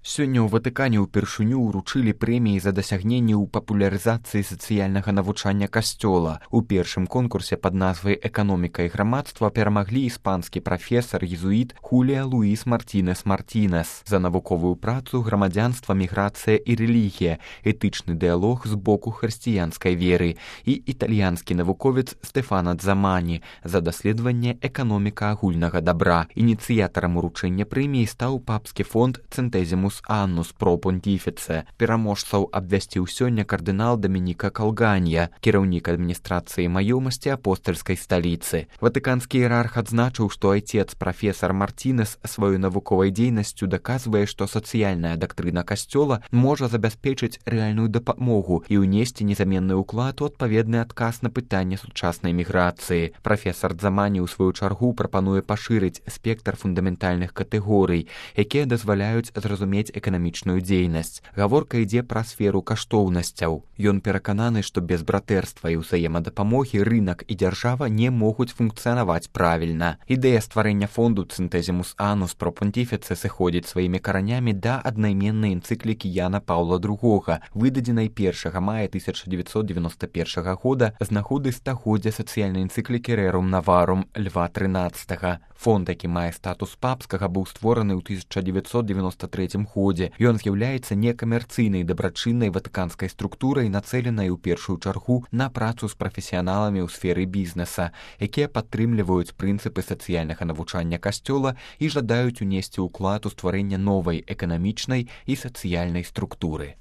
Сёння ў Ватыкане ўпершыню ўручылі прэміі за дасягненні ў папулярызацыі сацыяльнага навучання касцёла. У першым конкурсе пад назвай «Эканоміка і грамадства» перамаглі іспанскі прафесар-езуіт Хулія Луіс Мартінес Мартінес за навуковую працу «Грамадзянства, міграцыя і рэлігія. Этычны дыялог з боку хрысціянскай веры» і італьянскі навуковец Стэфана Дзамані за даследаванне «Эканоміка агульнага дабра». Ініцыятарам уручэння прэміі стаў папскі фонд «Цэнтэзімус Аннус про понтифице». Пераможцаў абвясціў сёння кардынал Дамініка Калганья, кіраўнік адміністрацыі маёмасці апостальскай сталіцы. Ватыканскі іерарх адзначыў, што айцец прафесар Мартінес сваёй навуковай дзейнасцю даказвае, што сацыяльная дактрына касцёла можа забяспечыць рэальную дапамогу і ўнесці незаменны ўклад у адпаведны адказ на пытанне сучаснай міграцыі. Прафесар Дзамані ў сваю чаргу прапануе пашырыць спектр фундаментальных катэгорый, якія дазваляюць зразумець эканамічную дзейнасць. Гаворка ідзе пра сферу каштоўнасцяў. Ён перакананы, што без братэрства і ўзаемадапамогі рынак і дзяржава не могуць функцыянаваць правільна. Ідэя стварэння фонду «Цэнтэзімус Аннус про понтифице» сыходзіць сваімі каранямі да аднайменнай энцыклікі Яна Паўла II, выдадзенай 1 мая 1991 года з нагоды стагоддзя сацыяльнай энцыклікі «Рэрум Наварум» Льва XIII. Фонд, які мае статус папскага, быў створаны ў 1993 годзе. Ён з'яўляецца некамерцыйнай дабрачыннай ватыканскай структурай, нацэленай у першую чаргу на працу з прафесіяналамі ў сферы бізнеса, якія падтрымліваюць прынцыпы сацыяльнага навучання касцёла і жадаюць унесці ўклад у стварэнне новай эканамічнай і сацыяльнай структуры.